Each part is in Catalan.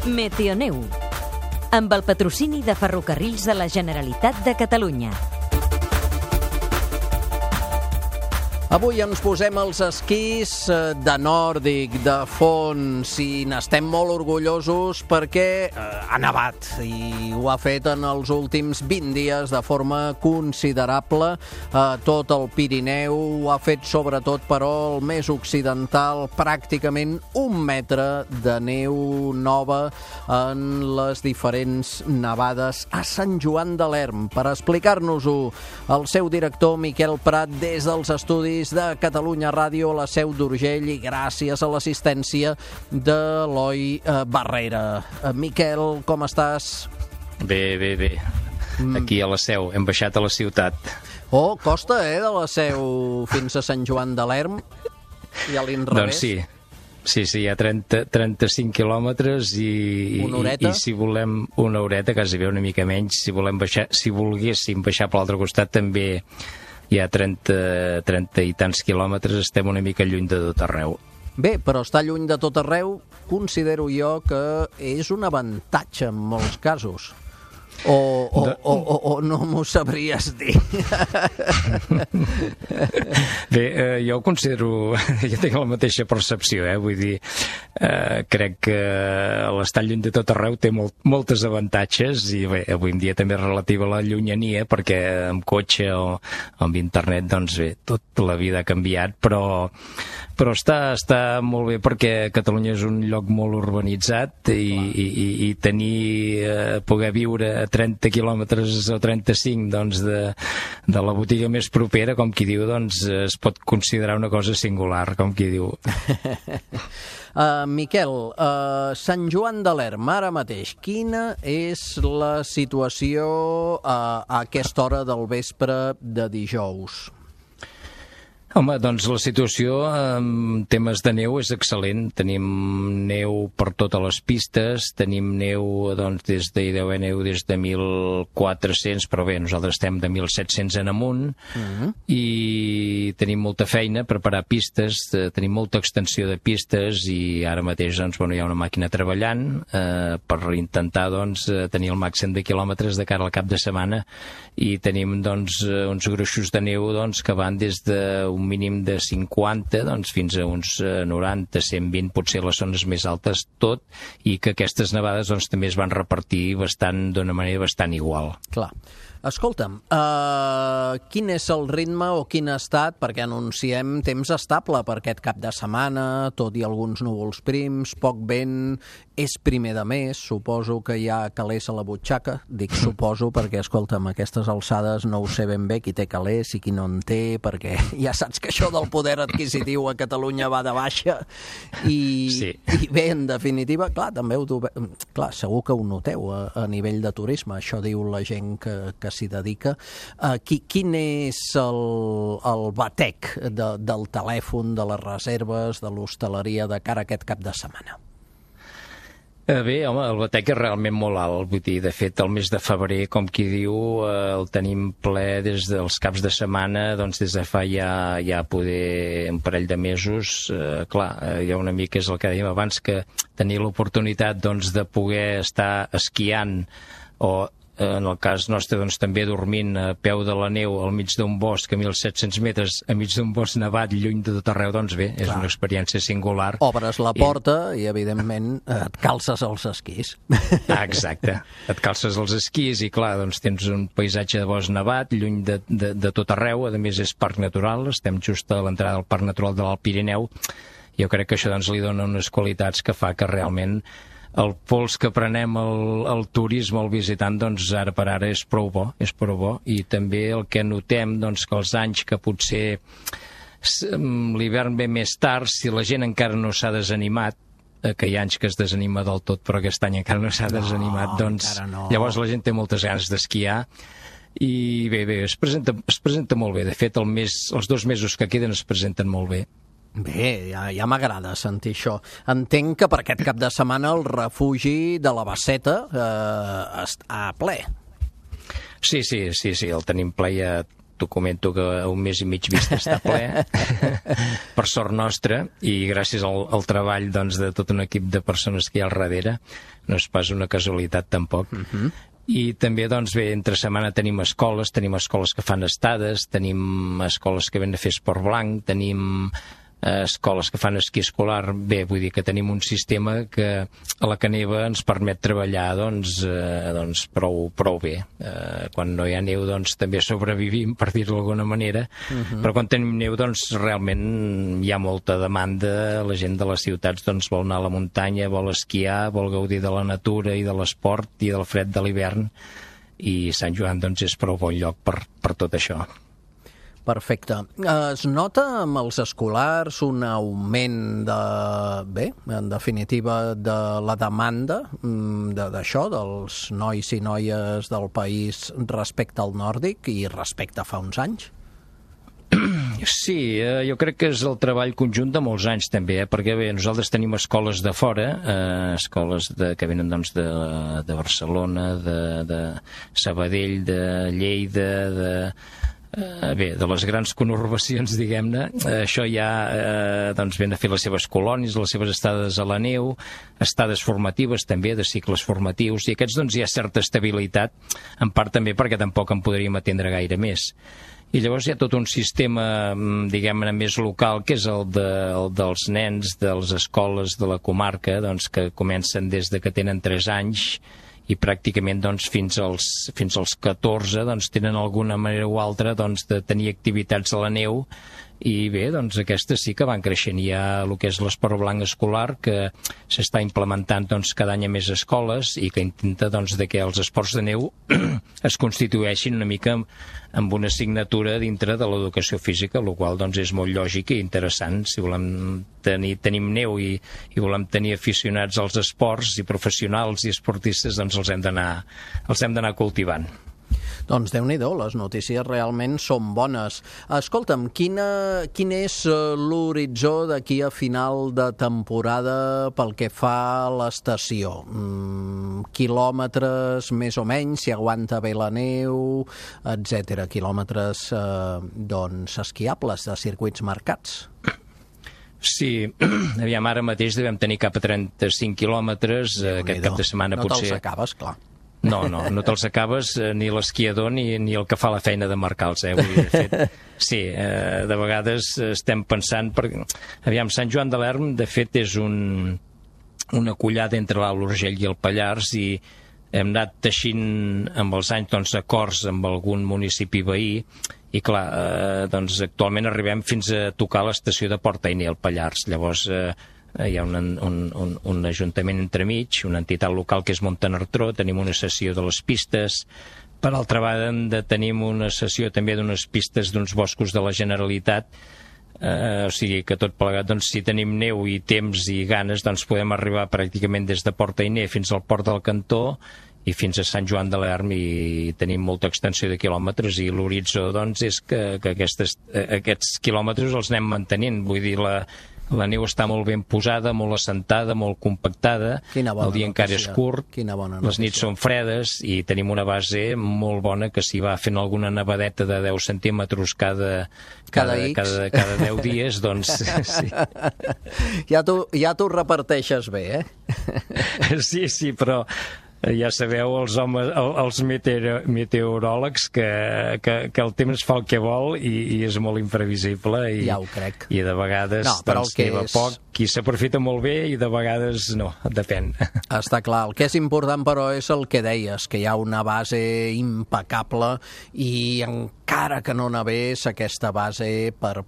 Meteoneu, amb el patrocini de Ferrocarrils de la Generalitat de Catalunya. Avui ens posem els esquís de nòrdic, de fons, i n'estem molt orgullosos perquè ha nevat i ho ha fet en els últims 20 dies de forma considerable. Tot el Pirineu ho ha fet, sobretot, però el més occidental, pràcticament 1 metre de neu nova en les diferents nevades a Sant Joan de l'Erm. Per explicar-nos-ho, el seu director, Miquel Prat, des dels estudis de Catalunya Ràdio, a la Seu d'Urgell, i gràcies a l'assistència de l'Eloi Barrera. Miquel, com estàs? Bé. Aquí a la Seu, hem baixat a la ciutat. Oh, costa, de la Seu fins a Sant Joan de l'Erm i a l'inrevés. Doncs sí, hi ha 35 quilòmetres i si volem una horeta, quasi bé una mica menys, si volguéssim baixar per l'altre costat també hi ha 30 i tants quilòmetres, estem una mica lluny de tot arreu. Bé, però estar lluny de tot arreu considero jo que és un avantatge en molts casos. O no m'ho sabries dir? Bé, jo ho considero, jo tinc la mateixa percepció, vull dir, crec que l'estar lluny de tot arreu té moltes avantatges, i bé, avui en dia també és relativa a la llunyania, perquè amb cotxe o amb internet, doncs bé, tota la vida ha canviat, però està molt bé, perquè Catalunya és un lloc molt urbanitzat i poder viure a 30 quilòmetres o 35 doncs, de la botiga més propera, com qui diu, doncs es pot considerar una cosa singular, com qui diu. Miquel, Sant Joan de l'Erm, ara mateix, quina és la situació a aquesta hora del vespre de dijous? Home, doncs la situació en temes de neu és excel·lent. Tenim neu per totes les pistes, tenim neu, doncs, hi deu haver neu des de 1.400, però bé, nosaltres estem de 1.700 en amunt, i tenim molta feina, preparar pistes, tenim molta extensió de pistes, i ara mateix, doncs, hi ha una màquina treballant per intentar, doncs, tenir el màxim de quilòmetres de cara al cap de setmana, i tenim, doncs, uns gruixos de neu, doncs, que van des d'un mínim de 50 doncs, fins a uns 90, 120, potser les zones més altes, tot, i que aquestes nevades doncs, també es van repartir d'una manera bastant igual. Clar. Escolta'm, quin és el ritme o quin ha estat, perquè anunciem temps estable per aquest cap de setmana, tot i alguns núvols prims, poc vent, és primer de mes, suposo que hi ha calés a la butxaca, dic suposo perquè, escolta'm, aquestes alçades no ho sé ben bé qui té calés i qui no en té, perquè ja saps que això del poder adquisitiu a Catalunya va de baixa, i bé, en definitiva, clar, també segur que ho noteu a nivell de turisme, això diu la gent que s'hi dedica. Quin és el batec del telèfon, de les reserves, de l'hostaleria de cara a aquest cap de setmana? Bé, home, el batec és realment molt alt, vull dir, de fet, el mes de febrer, com qui diu, el tenim ple des dels caps de setmana, doncs des de fa ja poder un parell de mesos. Clar, hi ha una mica, és el que dèiem abans, que tenir l'oportunitat, doncs, de poder estar esquiant o en el cas nostre, doncs, també dormint a peu de la neu al mig d'un bosc a 1.700 metres, a mig d'un bosc nevat, lluny de tot arreu, doncs bé, és una experiència singular. Obres la porta i, evidentment, et calces els esquís. Exacte, et calces els esquís i, clar, doncs tens un paisatge de bosc nevat, lluny de tot arreu, a més és parc natural, estem just a l'entrada del Parc Natural de l'Alt Pirineu. Jo crec que això, doncs, li dona unes qualitats que fa que realment el pols que prenem el turisme, el visitant, doncs ara per ara és prou bo, i també el que notem, doncs, que els anys que potser l'hivern ve més tard, si la gent encara no s'ha desanimat, que hi ha anys que es desanima del tot, però aquest any encara no s'ha desanimat, doncs llavors la gent té moltes ganes d'esquiar, i bé, es presenta molt bé. De fet, els 2 mesos que queden es presenten molt bé. Bé, ja m'agrada sentir això. Entenc que per aquest cap de setmana el refugi de la Basseta està ple. Sí, el tenim ple ja t'ho comento que a un mes i mig vista està ple, per sort nostra, i gràcies al treball doncs, de tot un equip de persones que hi ha al darrere, no és pas una casualitat tampoc. I també, doncs bé, entre setmana tenim escoles que fan estades, tenim escoles que venen a fer esport blanc, tenim escoles que fan esquí escolar. Bé, vull dir que tenim un sistema que a la Caneva ens permet treballar doncs prou bé. Quan no hi ha neu doncs també sobrevivim, per dir-ho d'alguna manera, però quan tenim neu doncs realment hi ha molta demanda. La gent de les ciutats doncs vol anar a la muntanya, vol esquiar, vol gaudir de la natura i de l'esport i del fred de l'hivern, i Sant Joan doncs és prou bon lloc per tot això. Perfecte. Es nota amb els escolars un augment en definitiva, de la demanda d'això, dels nois i noies del país respecte al nòrdic i respecte a fa uns anys? Sí, jo crec que és el treball conjunt de molts anys també, perquè bé, nosaltres tenim escoles de fora, escoles que venen doncs, de Barcelona, de Sabadell, de Lleida, de les grans conurbacions, diguem-ne. Això ja doncs ven a fer les seves colònies, les seves estades a la neu, estades formatives també, de cicles formatius, i aquests doncs hi ha certa estabilitat, en part també perquè tampoc en podríem atendre gaire més. I llavors hi ha tot un sistema, diguem-ne, més local, que és el dels nens de les escoles de la comarca, doncs, que comencen des de que tenen 3 anys i pràcticament doncs, fins als 14 doncs, tenen alguna manera o altra doncs, de tenir activitats a la neu, i bé, doncs aquestes sí que van creixent. Hi ha el que és l'esport blanc escolar, que s'està implementant doncs, cada any a més escoles, i que intenta doncs, que els esports de neu es constitueixin una mica amb una assignatura dintre de l'educació física, el qual doncs, és molt lògic i interessant. Si volem tenim neu i volem tenir aficionats als esports i professionals i esportistes, doncs els hem d'anar cultivant. Doncs Déu-n'hi-do, les notícies realment són bones. Escolta'm, quin és l'horitzó d'aquí a final de temporada pel que fa a l'estació? Quilòmetres més o menys, si aguanta bé la neu, etc. Quilòmetres doncs esquiables de circuits marcats? Sí, aviam, ara mateix devem tenir cap a 35 quilòmetres, aquest cap de setmana potser... No te'ls acabes, clar. No te'ls acabes, ni l'esquiador ni el que fa la feina de marcar-los, Vull dir, de fet, sí, de vegades estem pensant... Aviam, Sant Joan de l'Erm, de fet, és una collada entre l'Alt Urgell i el Pallars, i hem anat teixint amb els anys doncs, acords amb algun municipi veí, i clar, doncs actualment arribem fins a tocar l'estació de Port-Ainé al Pallars. Llavors hi ha un ajuntament entremig, una entitat local que és Montanartró, tenim una sessió de les pistes. Per altra banda, tenim una sessió també d'unes pistes d'uns boscos de la Generalitat, o sigui que tot plegat, doncs, si tenim neu i temps i ganes, doncs podem arribar pràcticament des de Port-Ainé fins al Port del Cantó i fins a Sant Joan de l'Erm, i tenim molta extensió de quilòmetres, i l'horitzó doncs, és que aquests quilòmetres els anem mantenint. Vull dir, la neu està molt ben posada, molt assentada, molt compactada, el dia encara és curt, les nits són fredes i tenim una base molt bona que s'hi va fent alguna nevadeta de 10 centímetres cada 10 dies, doncs sí. Ja t'ho reparteixes bé, Sí, però ja sabeu, els homes, els meteoròlegs, que el temps fa el que vol i és molt imprevisible, ja ho crec. I de vegades doncs, neva poc, qui s'aprofita molt bé, i de vegades no, depèn. Està clar. El que és important, però, és el que deies, que hi ha una base impecable, i encara que no nevés, aquesta base per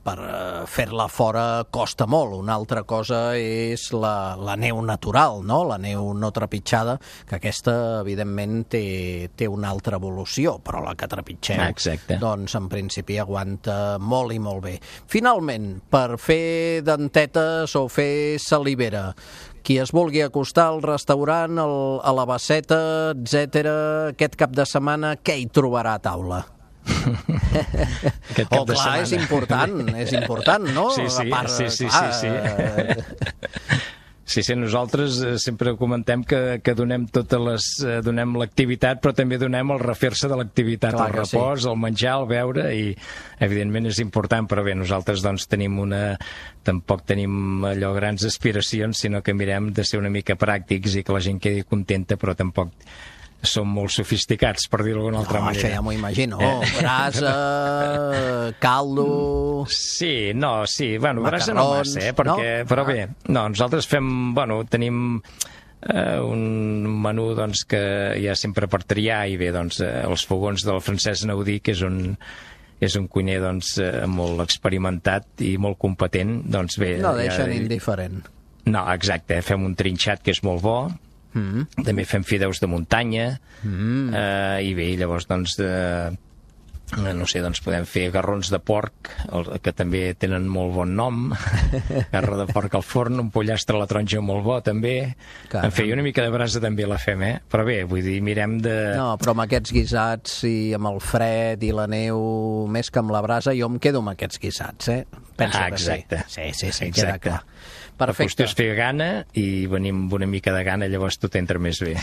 fer-la fora costa molt. Una altra cosa és la neu natural, no? La neu no trepitjada, que aquesta, evidentment, té una altra evolució, però la que trepitgem, doncs, en principi, aguanta molt i molt bé. Finalment, per fer dentetes o fer salivera, qui es vulgui acostar al restaurant, a la Basseta, etc., aquest cap de setmana, què hi trobarà a taula? Clar, és important, no? Sí. Sí, nosaltres sempre comentem que donem donem l'activitat, però també donem el refer-se de l'activitat, el repòs, el menjar, el beure, i evidentment és important, però bé, nosaltres doncs tampoc tenim allò grans aspiracions, sinó que mirem de ser una mica pràctics i que la gent quedi contenta, però tampoc som molt sofisticats, per dir-ho d'alguna altra manera. Això ja m'ho imagino. Brasa, caldo... Sí, brasa no massa, però bé, nosaltres tenim un menú que hi ha sempre per triar, i bé, els fogons del Francesc Naudí, que és un cuiner molt experimentat i molt competent, bé... No deixen indiferent. No, exacte, fem un trinxat que és molt bo, també fem fideus de muntanya, i bé, llavors podem fer garrons de porc, que també tenen molt bon nom, garro de porc al forn, un pollastre a la taronja molt bo també, en fi, una mica de brasa també la fem, però bé, vull dir, mirem de... No, però amb aquests guisats i amb el fred i la neu, més que amb la brasa, jo em quedo amb aquests guisats, penso que sí. Sí, queda clar. Perfecte. La qüestió és fer gana, i venim amb una mica de gana, llavors tot entra més bé.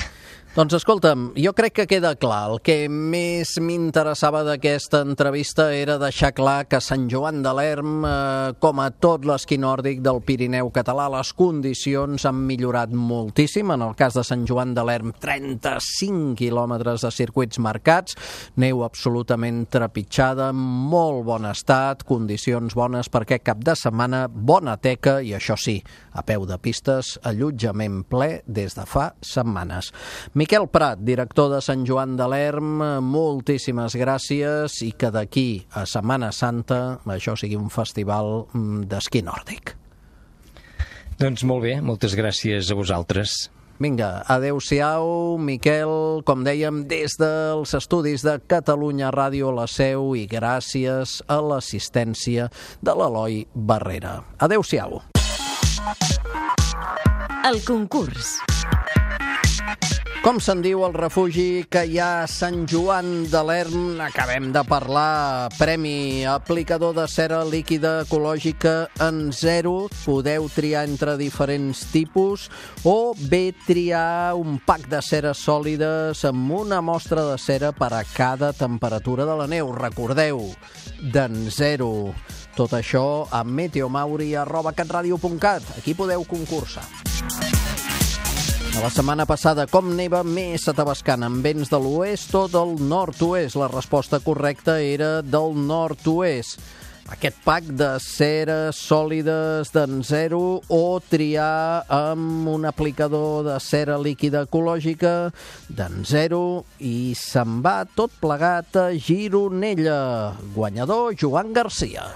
Doncs escolta'm, jo crec que queda clar. El que més m'interessava d'aquesta entrevista era deixar clar que Sant Joan de l'Erm, com a tot l'esquí nòrdic del Pirineu català, les condicions han millorat moltíssim. En el cas de Sant Joan de l'Erm, 35 quilòmetres de circuits marcats, neu absolutament trepitjada, molt bon estat, condicions bones per aquest cap de setmana, bona teca i, això sí, a peu de pistes, allotjament ple des de fa setmanes. Miquel Prat, director de Sant Joan de l'Erm, moltíssimes gràcies, i que d'aquí a Setmana Santa això sigui un festival d'esquí nòrdic. Doncs molt bé, moltes gràcies a vosaltres. Vinga, adeu-siau, Miquel, com dèiem, des dels estudis de Catalunya Ràdio La Seu, i gràcies a l'assistència de l'Eloi Barrera. Adeu-siau. El concurs. Com se'n diu el refugi que hi ha a Sant Joan de l'Erm? Acabem de parlar. Premi aplicador de cera líquida ecològica en 0. Podeu triar entre diferents tipus, o bé triar un pack de ceres sòlides amb una mostra de cera per a cada temperatura de la neu. Recordeu, d'en 0. Tot això a meteomauri@catradio.cat. Aquí podeu concursar. La setmana passada, com neva més a Tavascan, amb vents de l'oest o del nord-oest? La resposta correcta era del nord-oest. Aquest pack de ceres sòlides d'en 0, o triar amb un aplicador de cera líquida ecològica d'en 0, i se'n va tot plegat a Gironella. Guanyador, Joan Garcia.